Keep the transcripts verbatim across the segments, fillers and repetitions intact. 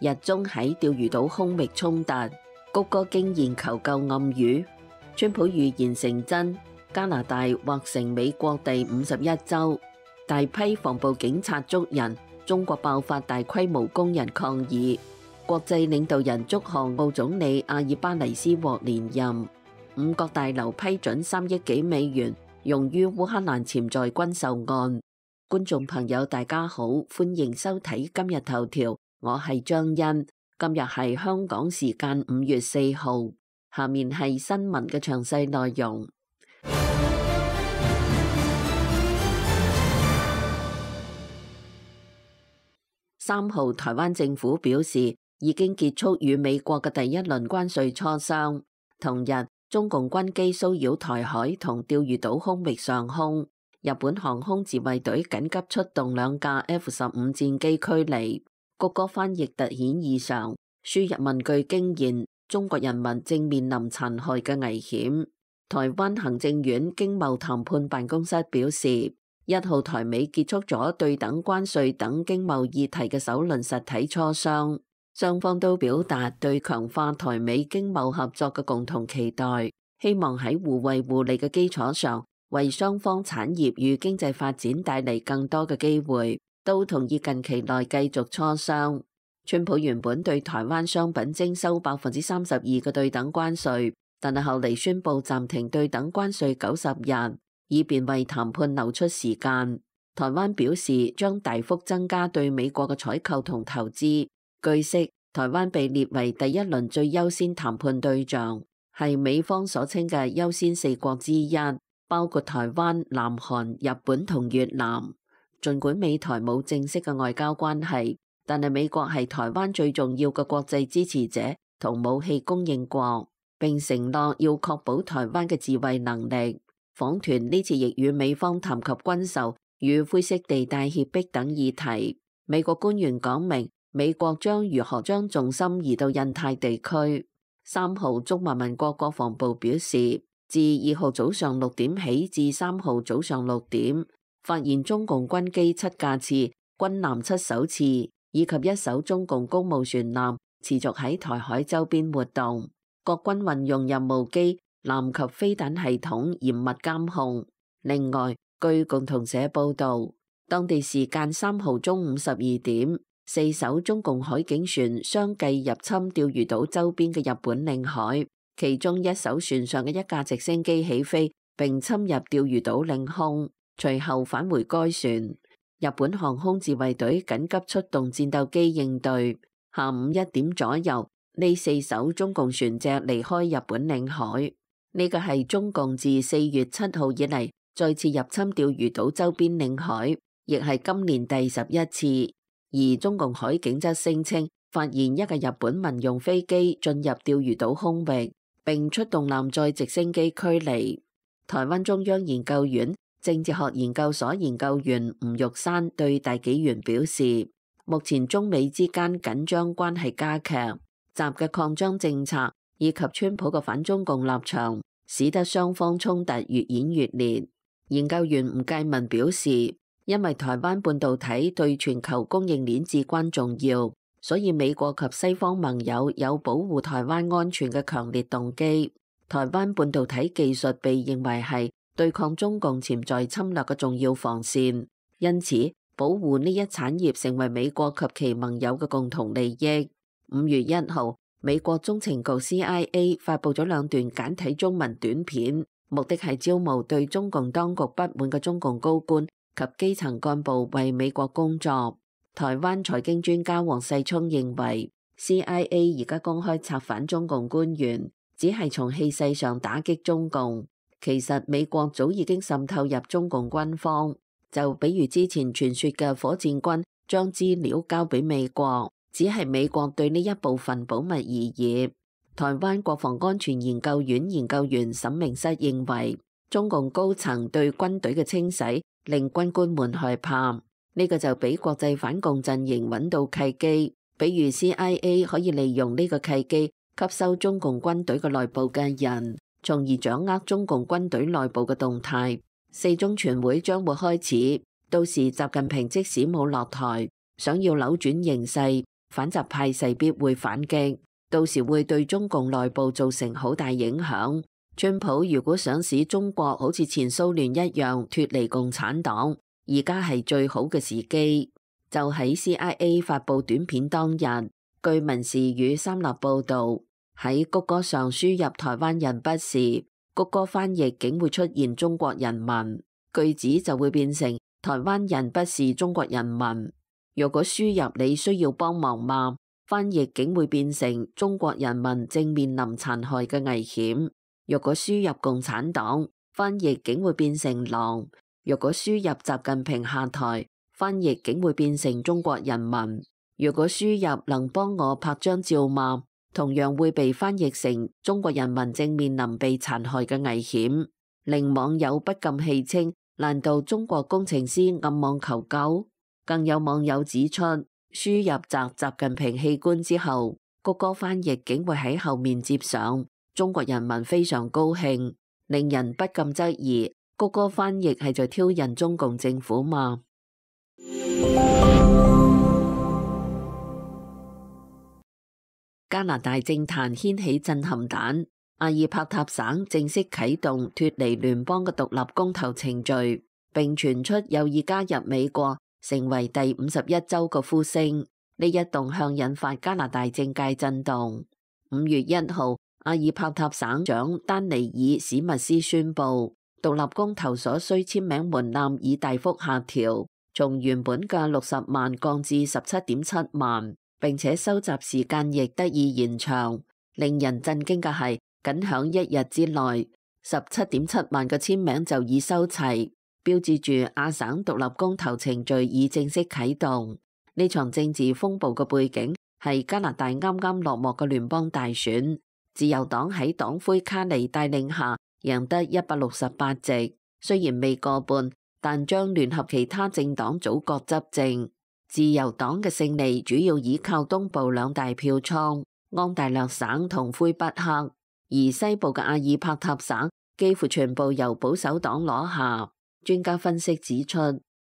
日中喺釣魚島空域衝突，谷歌驚現求救暗語，川普預言成真，加拿大劃成美國第五十一州，大批防暴警察捉人，中國爆發大規模工人抗議，國際領導人祝賀澳總理阿爾巴尼斯獲連任，五角大樓批准三億幾美元用於烏克蘭潛在軍售案。觀眾朋友大家好，歡迎收睇今日頭條，我係張欣。今日係香港時間五月四號，下面係新聞嘅詳細內容。三號，台灣政府表示已經結束與美國嘅第一輪關稅磋商。同日，中共軍機騷擾台海同釣魚島空域上空。日本航空自衛隊緊急出動兩架 F 十五戰機驅離，谷歌翻譯突顯異常，輸入文句驚現中國人民正面臨殘害嘅危險。台灣行政院經貿談判辦公室表示，一號台美結束咗對等關稅等經貿議題嘅首輪實體磋商，雙方都表達對強化台美經貿合作嘅共同期待，希望喺互惠互利嘅基礎上，為雙方產業與經濟發展帶嚟更多嘅機會，都同意近期內繼續磋商。川普原本對台灣商品徵收百分之三十二嘅對等關稅，但係後嚟宣布暫停對等關稅九十日，以便為談判留出時間。台灣表示將大幅增加對美國嘅採購同投資。據悉，台灣被列為第一輪最優先談判對象，係美方所稱嘅優先四國之一。包括台灣、南韓、日本同越南。儘管美台冇正式嘅外交關係，但係美國係台灣最重要嘅國際支持者同武器供應國，並承諾要確保台灣嘅自衛能力。訪團呢次亦與美方談及軍售與灰色地帶脅迫等議題。美國官員講明，美國將如何將重心移到印太地區。三號，中華民國國防部表示，自二號早上六點起至三號早上六點，發現中共軍機七架次、軍艦七艘次，以及一艘中共公務船艦持續喺台海周邊活動。國軍運用任務機、艦及飛彈系統嚴密監控。另外，據共同社報道，當地時間三號中午十二點，四艘中共海警船相繼入侵釣魚島周邊嘅日本領海。其中一艘船上嘅一架直升機起飛並侵入釣魚島領空，隨後返回該船。日本航空自衛隊緊急出動戰鬥機應對。下午一點左右，呢四艘中共船隻離開日本領海。呢個係中共自四月七號以嚟再次入侵釣魚島周邊領海，亦係今年第十一次。而中共海警則聲稱發現一架日本民用飛機進入釣魚島空域，並出動艦載直升機驅離。台灣中央研究院政治學研究所研究員吳玉山對大紀元表示，目前中美之間緊張關係加劇，習嘅擴張政策以及川普嘅反中共立場，使得雙方衝突越演越烈。研究員吳介民表示，因為台灣半導體對全球供應鏈至關重要，所以美國及西方盟友有保護台灣安全嘅強烈動機。台灣半導體技術被認為係對抗中共潛在侵略嘅重要防線，因此保護呢一產業成為美國及其盟友嘅共同利益。五月一號，美國中情局 C I A 發布咗兩段簡體中文短片，目的係招募對中共當局不滿嘅中共高官及基層幹部為美國工作。台灣財經專家黃世聰認為 C I A 而家公開策反中共官員，只係從氣勢上打擊中共。其實美國早已經滲透入中共軍方，就比如之前傳說嘅火箭軍將資料交俾美國，只係美國對呢一部分保密而已。台灣國防安全研究院研究員沈明室認為，中共高層對軍隊嘅清洗令軍官們害怕。呢個就俾國際反共陣營揾到契機，比如 C I A 可以利用呢個契機吸收中共軍隊嘅內部嘅人，從而掌握中共軍隊內部嘅動態。四中全會將會開始，到時習近平即使冇落台，想要扭轉形勢，反習派勢必會反擊，到時會對中共內部造成好大影響。川普如果想使中國好似前蘇聯一樣脫離共產黨，而家係最好嘅時機。就喺 C I A 發布短片當日，據民視與三立報導，喺谷歌上輸入台灣人不是，谷歌翻譯竟會出現中國人民，句子就會變成台灣人不是中國人民。若果輸入你需要幫忙嗎？翻譯竟會變成中國人民正面臨殘害嘅危險。若果輸入共產黨，翻譯竟會變成狼。若果輸入習近平下台，翻譯竟會變成中國人民。若果輸入能幫我拍張照嗎？同樣會被翻譯成中國人民正面臨被殘害嘅危險，令網友不禁戲稱：難道中國工程師暗網求救？更有網友指出，輸入摘習近平器官之後，谷歌翻譯竟會喺後面接上中國人民非常高興，令人不禁質疑谷歌翻譯係在挑釁中共政府嗎？加拿大政壇掀起震撼彈，阿爾伯塔省正式啟動脫離聯邦嘅獨立公投程序，並傳出有意加入美國成為第五十一州嘅呼聲。呢一動向引發加拿大政界震動。五月一號，阿爾伯塔省長丹尼爾史密斯宣布，獨立公投所需簽名門檻已大幅下調，從原本嘅六十萬降至十七點七萬，並且收集時間亦得以延長。令人震驚嘅係，僅響一日之內，十七點七萬嘅簽名就已收齊，標誌住亞省獨立公投程序已正式啟動。呢場政治風暴嘅背景係加拿大啱啱落幕嘅聯邦大選，自由黨喺黨魁卡尼帶領下贏得一百六十八席，雖然未過半，但將聯合其他政黨組閣執政。自由黨嘅勝利主要依靠東部兩大票倉安大略省同魁北克，而西部嘅阿爾伯塔省幾乎全部由保守黨攞下。專家分析指出，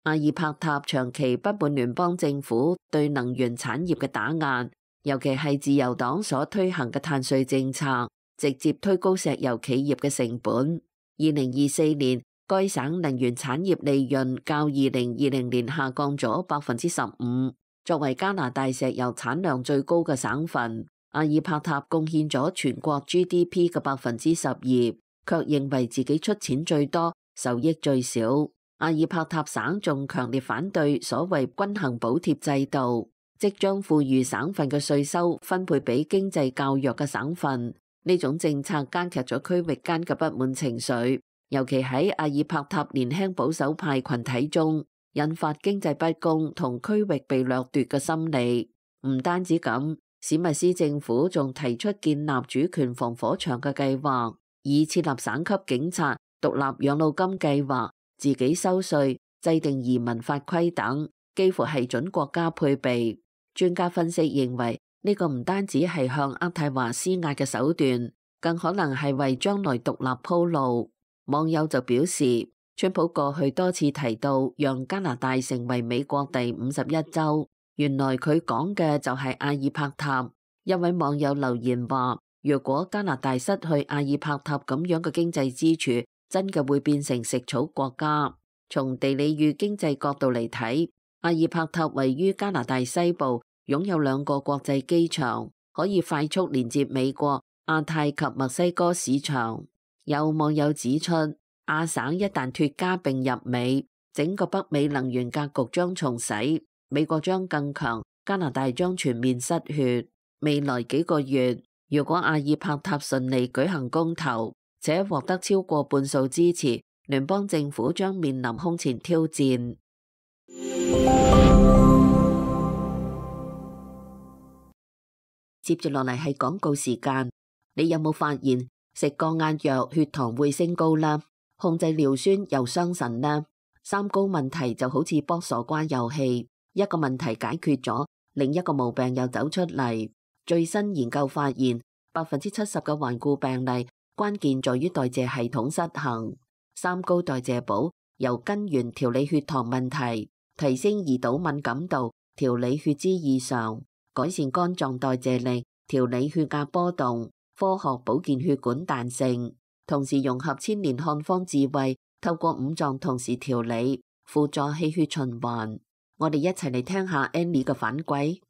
阿爾伯塔長期不滿聯邦政府對能源產業嘅打壓，尤其係自由黨所推行嘅碳稅政策，直接推高石油企業嘅成本。二零二四年，該省能源產業利潤較二零二零年下降咗百分之十五。作為加拿大石油產量最高嘅省份，阿爾伯塔貢獻咗全國 G D P 嘅百分之十二，卻認為自己出錢最多，受益最少。阿爾伯塔省仲強烈反對所謂均衡補貼制度，即將富裕省份嘅稅收分配俾經濟較弱嘅省份。呢種政策加劇咗區域間嘅不滿情緒，尤其喺阿爾伯塔年輕保守派群體中，引發經濟不公同區域被掠奪嘅心理。唔單止咁，史密斯政府仲提出建立主權防火牆嘅計劃，以設立省級警察、獨立養老金計劃、自己收稅、制定移民法規等，幾乎係準國家配備。專家分析認為，呢個唔單止係向渥太華施壓嘅手段，更可能係為將來獨立鋪路。網友就表示，川普過去多次提到讓加拿大成為美國第五十一州，原來佢講嘅就係阿爾伯塔。一位網友留言話，如果加拿大失去阿爾伯塔咁樣嘅經濟支柱，真嘅會變成食草國家。從地理與經濟角度嚟睇，阿爾伯塔位於加拿大西部，擁有兩個國際機場，可以快速連接美國、亞太及墨西哥市場。有網友指出，亞省一旦脫加並入美，整個北美能源格局將重洗，美國將更強，加拿大將全面失血。未來幾個月，如果阿爾伯塔順利舉行公投，且獲得超過半數支持，聯邦政府將面臨空前挑戰。接住落嚟係廣告時間，你有冇發現食降壓藥血糖會升高啦？控制尿酸又傷腎啦？三高問題就好似搏傻瓜遊戲，一個問題解決咗，另一個毛病又走出嚟。最新研究發現，百分之七十嘅患故病例關鍵在於代謝系統失衡。三高代謝補由根源調理血糖問題，提升胰島敏感度，調理血脂異常。改善肝臟代謝力、調理血壓波動、科學保健血管彈性，同時融合千年漢方智慧，透過五臟同時調理，輔助氣血循環。我哋一齊嚟聽下 Annie 嘅反饋。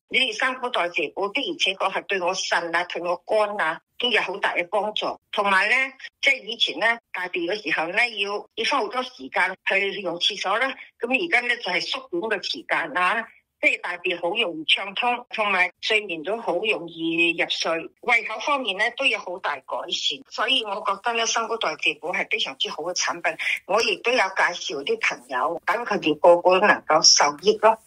呢啲三高代謝補的而且確係對我腎啊、對我肝啊都有好大嘅幫助。同埋咧，即係以前咧大便嘅時候咧，要要花好多時間去用廁所啦。咁而家咧就係縮短嘅時間啦，即係大便好容易暢通，同埋睡眠都好容易入睡。胃口方面咧都有好大改善，所以我覺得咧三高代謝補係非常之好嘅產品。我亦都有介紹啲朋友，等佢哋個個都能夠受益咯。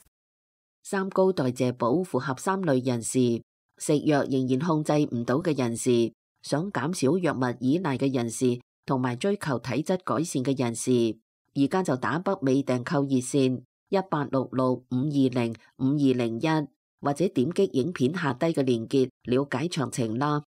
三高代謝補符合三類人士：食藥仍然控制唔到嘅人士，想減少藥物依賴嘅人士，同埋追求體質改善嘅人士。而家就打北美訂購熱線一八六六五二零五二零一，或者點擊影片下低嘅鏈接了解詳情啦。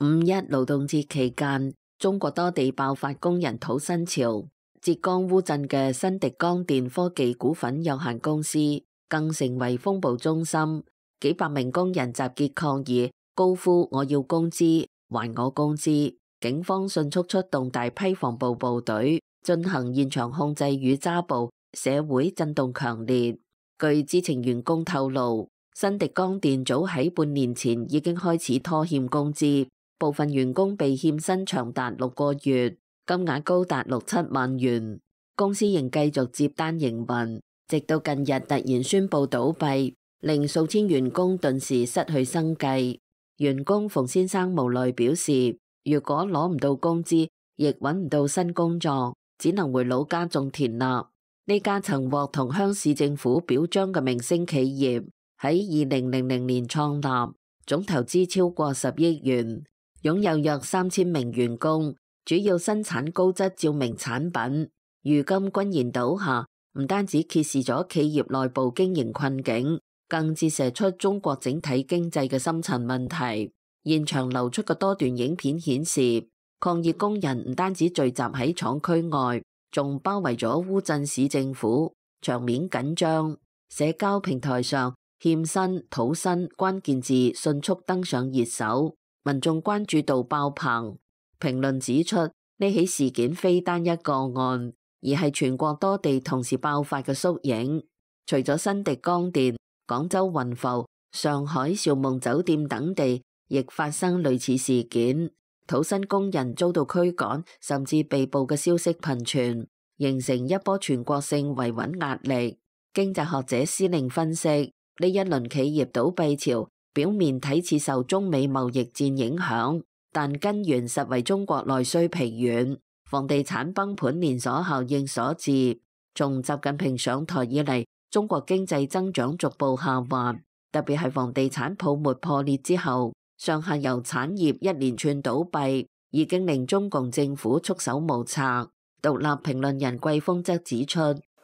五一勞動節期間，中國多地爆發工人討薪潮。浙江烏鎮嘅新迪江電科技股份有限公司更成為風暴中心，幾百名工人集結抗議，高呼我要工資，還我工資。警方迅速出動大批防暴部隊進行現場控制與抓捕，社會震動強烈。據知情員工透露，新迪江電早喺半年前已經開始拖欠工資，部分員工被欠薪長達六個月。金額高達六七萬元，公司仍繼續接單營運，直到近日突然宣布倒閉，令數千員工頓時失去生計。員工馮先生無奈表示，如果攞唔到工資，亦揾唔到新工作，只能回老家種田啦。呢家曾獲同鄉市政府表彰嘅明星企業，喺二零零零年創立，總投資超過十億元，擁有約三千名員工。主要生產高質照明產品，如今轟然倒下，唔單止揭示咗企業內部經營困境，更折射出中國整體經濟嘅深層問題。現場流出嘅多段影片顯示，抗議工人唔單止聚集喺廠區外，仲包圍咗烏鎮市政府，場面緊張。社交平台上欠薪、討薪關鍵字迅速登上熱搜，民眾關注度爆棚。評論指出，呢起事件非單一個案，而係全國多地同時爆發嘅縮影。除咗新迪江電、廣州雲浮、上海兆夢酒店等地，亦發生類似事件。討薪工人遭到驅趕，甚至被捕嘅消息頻傳，形成一波全國性維穩壓力。經濟學者施令分析，呢一輪企業倒閉潮，表面睇似受中美貿易戰影響，但根源實為中國內需疲軟、房地產崩盤連鎖效應所致。從習近平上台以嚟，中國經濟增長逐步下滑，特別係房地產泡沫破裂之後，上下游產業一連串倒閉，已經令中共政府束手無策。獨立評論人季峰則指出，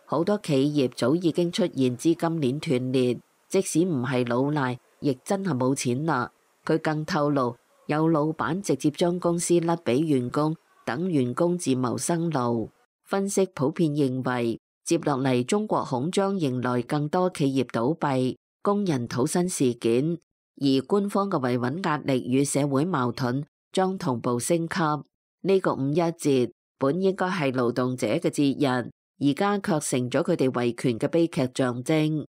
好多企業早已經出現資金鏈斷裂，即使唔係老賴，亦真係冇錢啦。佢更透露，有老闆直接將公司甩俾員工，等員工自謀生路。分析普遍認為，接落嚟中國恐將迎來更多企業倒閉、工人討薪事件，而官方嘅維穩壓力與社會矛盾將同步升級。呢個五一節本應該係勞動者嘅節日，而家卻成咗佢哋維權嘅悲劇象徵。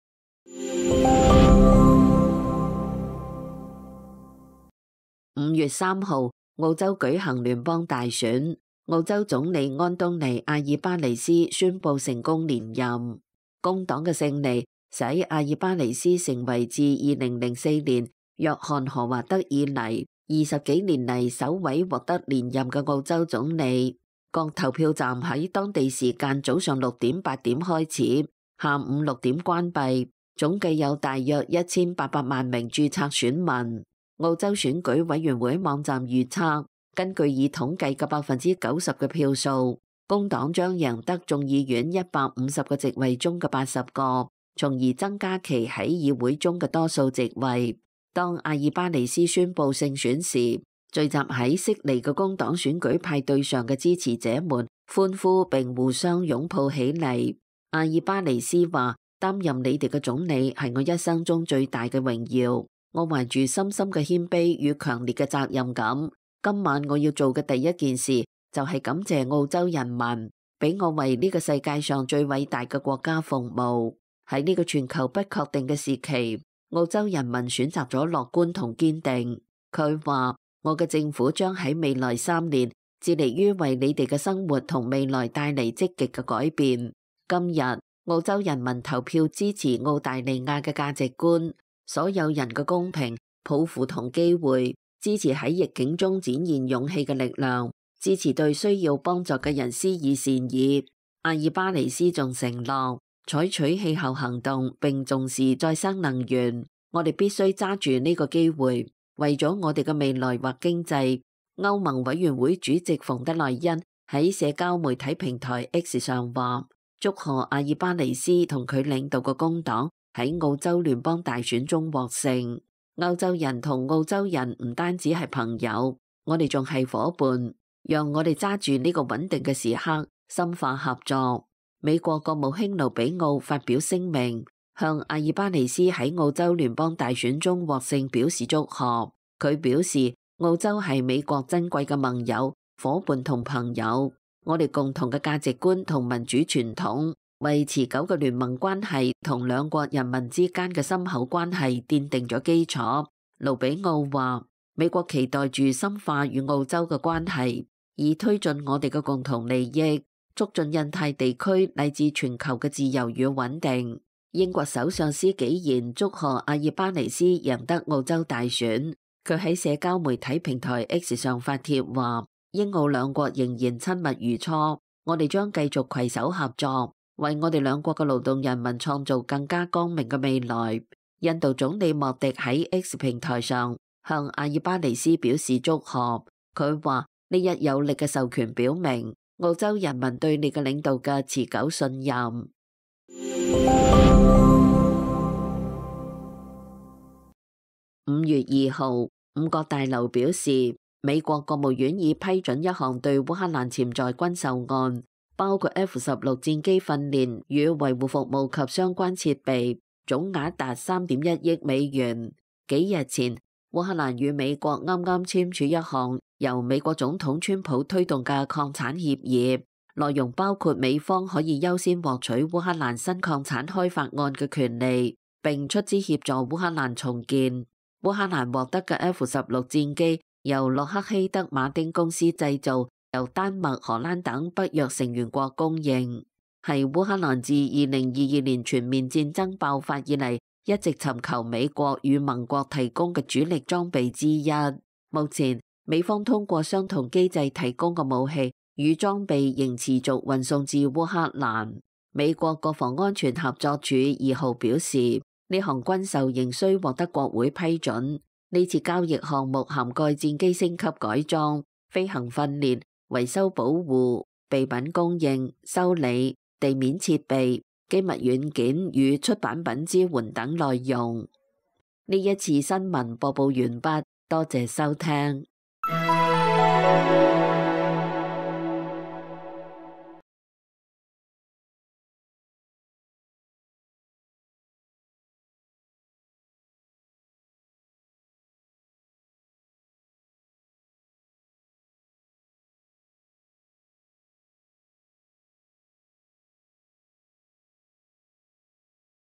五月三號，澳洲舉行聯邦大選，澳洲總理安東尼·阿爾巴尼斯宣布成功連任。工黨嘅勝利使阿爾巴尼斯成為自二零零四年約翰·何華德以嚟二十幾年嚟首位獲得連任嘅澳洲總理。各投票站喺當地時間早上六點八點開始，下午六點關閉，總計有大約一千八百萬名註冊選民。澳洲選舉委員會網站預測，根據已統計嘅百分之九十嘅票數，工黨將贏得眾議院一百五十個席位中嘅八十個，從而增加其喺議會中嘅多數席位。當阿爾巴尼斯宣布勝選時，聚集喺悉尼嘅工黨選舉派對上嘅支持者們歡呼並互相擁抱起嚟。阿爾巴尼斯話：擔任你哋嘅總理係我一生中最大嘅榮耀，我懷住深深嘅謙卑與強烈嘅責任感。今晚我要做嘅第一件事就係感謝澳洲人民，俾我為呢個世界上最偉大嘅國家服務。喺呢個全球不確定嘅時期，澳洲人民選擇咗樂觀同堅定。佢話：我嘅政府將喺未來三年致力於為你哋嘅生活同未來帶嚟積極嘅改變。今日澳洲人民投票支持澳大利亞嘅價值觀，所有人嘅公平、抱負同機會，支持喺逆境中展現勇氣嘅力量，支持對需要幫助嘅人施以善意。阿爾巴尼斯仲承諾採取氣候行動並重視再生能源。我哋必須揸住呢個機會，為咗我哋嘅未來或經濟。歐盟委員會主席馮德萊恩喺社交媒體平台 X 上話：祝賀阿爾巴尼斯同佢領導嘅工黨喺澳洲聯邦大選中獲勝。歐洲人同澳洲人唔單止係朋友，我哋仲係夥伴。讓我哋揸住呢個穩定嘅時刻，深化合作。美國國務卿盧比奧發表聲明，向阿爾巴尼斯喺澳洲聯邦大選中獲勝表示祝賀。佢表示，澳洲係美國珍貴嘅盟友、夥伴同朋友。我哋共同嘅價值觀同民主傳統，為持久嘅聯盟關係同兩國人民之間嘅深厚關係奠定咗基礎。盧比奧話：美國期待住深化與澳洲嘅關係，以推進我哋嘅共同利益，促進印太地區乃至全球嘅自由與穩定。英國首相施紀賢祝賀阿爾巴尼斯贏得澳洲大選。佢喺社交媒體平台 X 上發帖話：英澳兩國仍然親密如初，我哋將繼續攜手合作，為我哋兩國嘅勞動人民創造更加光明嘅未來。印度總理莫迪喺 X 平台上向阿爾巴尼斯表示祝賀。佢話：呢一有力嘅授權表明澳洲人民對你嘅領導嘅持久信任。五月二號，五角大樓表示，美國國務院已批准一項對烏克蘭潛在軍售案，包括 F 十六戰機訓練與維護服務及相關設備，總額達三點一億美元。幾日前，烏克蘭與美國啱啱簽署一項由美國總統川普推動嘅礦產協議，內容包括美方可以優先獲取烏克蘭新礦產開發案嘅權利，並出資協助烏克蘭重建。烏克蘭獲得嘅 F 十六戰機由洛克希德馬丁公司製造，由丹麥、荷蘭等北約成員國供應，係烏克蘭自二零二二年全面戰爭爆發以嚟一直尋求美國與盟國提供嘅主力裝備之一。目前，美方通過相同機制提供嘅武器與裝備仍持續運送至烏克蘭。美國國防安全合作署二號表示，呢項軍售仍需獲得國會批准。呢次交易項目涵蓋戰機升級改裝、飛行訓練、維修保護、備品供應、修理、地面設備、機密軟件與出版品支援等內容。呢一次新聞播報完畢，多謝收聽。